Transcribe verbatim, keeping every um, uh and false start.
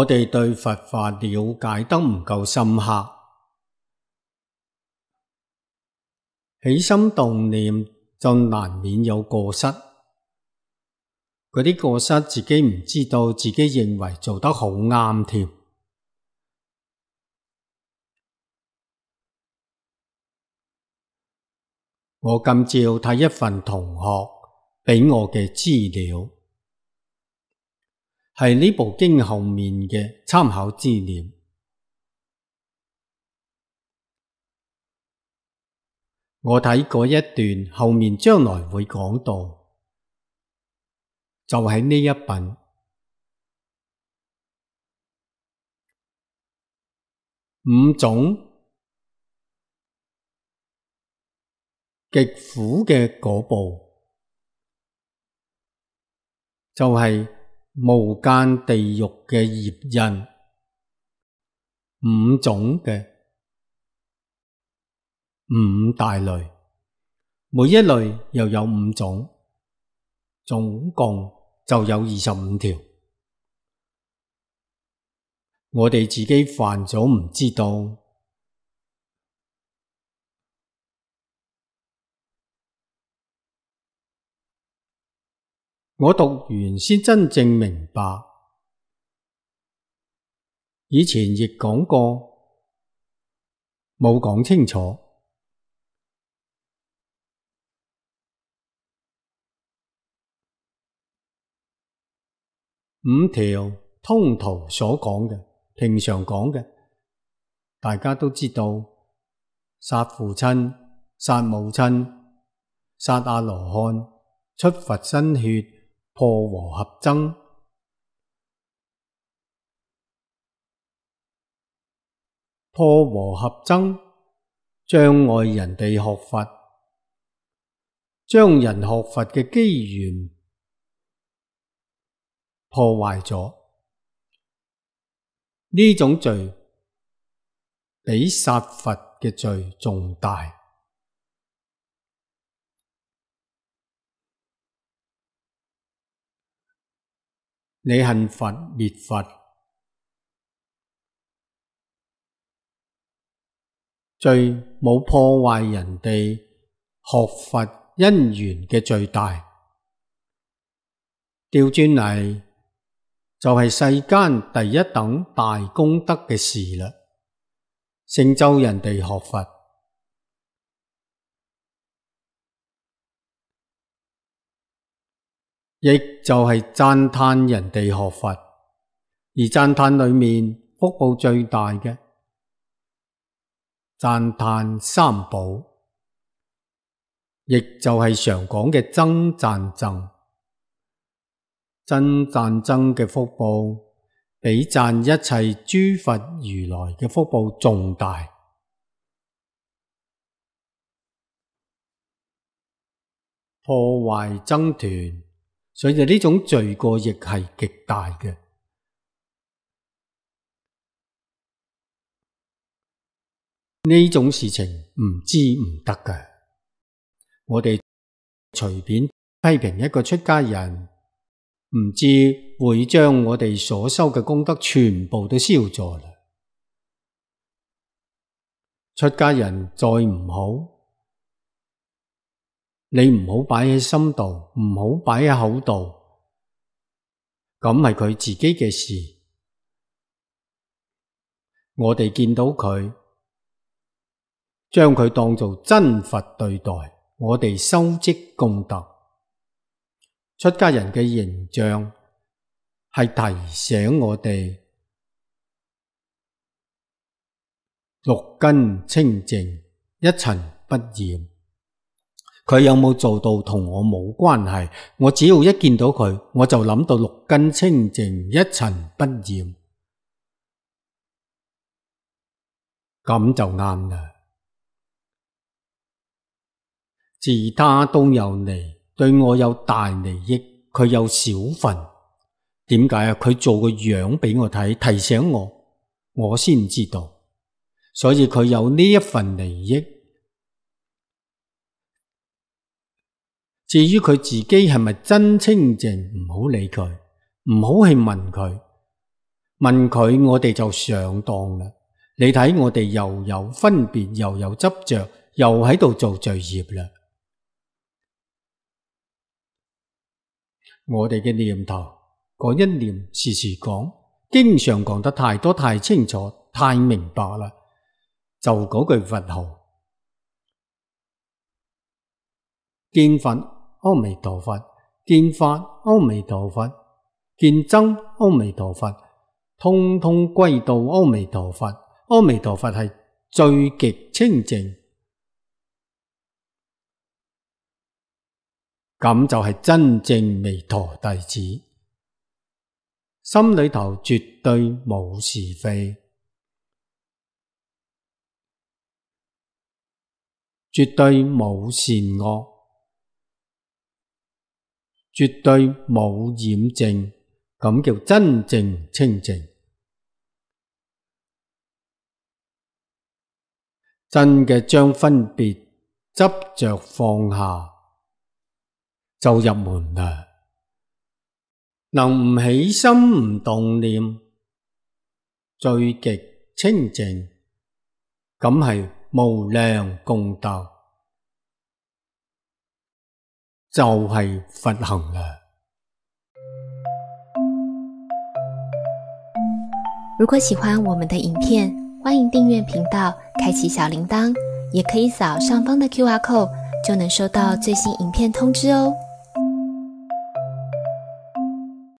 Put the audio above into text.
我哋對佛法了解得唔夠深刻，起心動念就難免有過失。嗰啲過失自己唔知道，自己認為做得好啱添。我今朝睇一份同學畀我嘅資料，係呢部經後面嘅參考資料。我睇嗰一段後面將來會講到，就喺呢一品。五種極苦嘅果報，就係無間地獄嘅業因，五種嘅五大類，每一類又有五種，總共就有二十五條。我哋自己犯咗唔知道。我讀完先真正明白，以前亦講過，冇講清楚。五條通途所講嘅，平常講嘅，大家都知道，殺父親、殺母親、殺阿羅漢、出佛身血、破和合僧，破和合僧，障礙人哋學佛，將人學佛嘅機緣破壞咗。呢種罪比殺佛嘅罪仲大。你恨佛滅佛，罪冇破壞人哋學佛因緣嘅罪大。調轉嚟就係世間第一等大功德嘅事啦，成就人哋學佛，亦就係讚歎人哋學佛，而讚歎裏面福報最大嘅，讚歎三寶，亦就係常講嘅僧讚僧。僧讚僧嘅福報，比讚一切諸佛如來嘅福報仲大。破壞僧團，所以呢種罪過亦係極大嘅。呢種事情唔知唔得㗎。我哋隨便批評一個出家人，唔知會將我哋所修嘅功德全部都燒咗啦。出家人再唔好，你唔好擺喺心度，唔好擺喺口度，咁係佢自己嘅事。我哋見到佢，將佢當做真佛對待，我哋修積功德。出家人嘅形象係提醒我哋六根清淨，一塵不染。佢有冇做到同我冇關係，我只要一見到佢，我就諗到六根清淨，一塵不染，咁就啱啦。自他都有利，對我有大利益，佢有小份。點解啊？佢做個樣俾我睇，提醒我，我先知道。所以佢有呢一份利益。至於佢自己係咪真清淨，唔好理佢，唔好去問佢。問佢我哋就上當啦。你睇我哋又有分別，又有執着，又喺度做罪業啦。我哋嘅念頭嗰一念時時講，經常講得太多太清楚太明白啦，就嗰句佛號，見佛阿彌陀佛，見法阿彌陀佛，見僧阿彌陀佛，通通歸到阿彌陀佛。阿彌陀佛係最極清淨，咁就係真正彌陀弟子，心裏頭絕對冇是非，絕對冇善惡，絕對冇染淨，咁叫真正清淨。真嘅將分別執着放下，就入門啦。能唔起心唔動念，最極清淨，咁係無量功德，就係佛行啦。如果喜歡我們的影片，歡迎訂閱頻道，開啟小鈴鐺，也可以掃上方的 Q R code，就能收到最新影片通知哦。